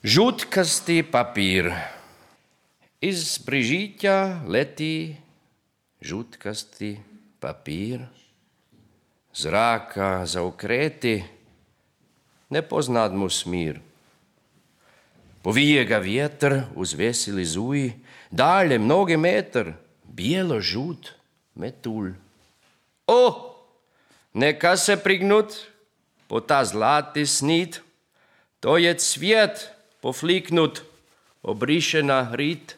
Žutkasti papír. Iz Brižiťa letí žutkasti papír. Zráka zaukréty, nepoznat mu smír. Povije ga vjetr uz veseli zuj, dalje mnoge metr, bijelo žut metulj. O, neka se prignut po ta zlati snit, to je cvjet pofliknut, obrišena rit.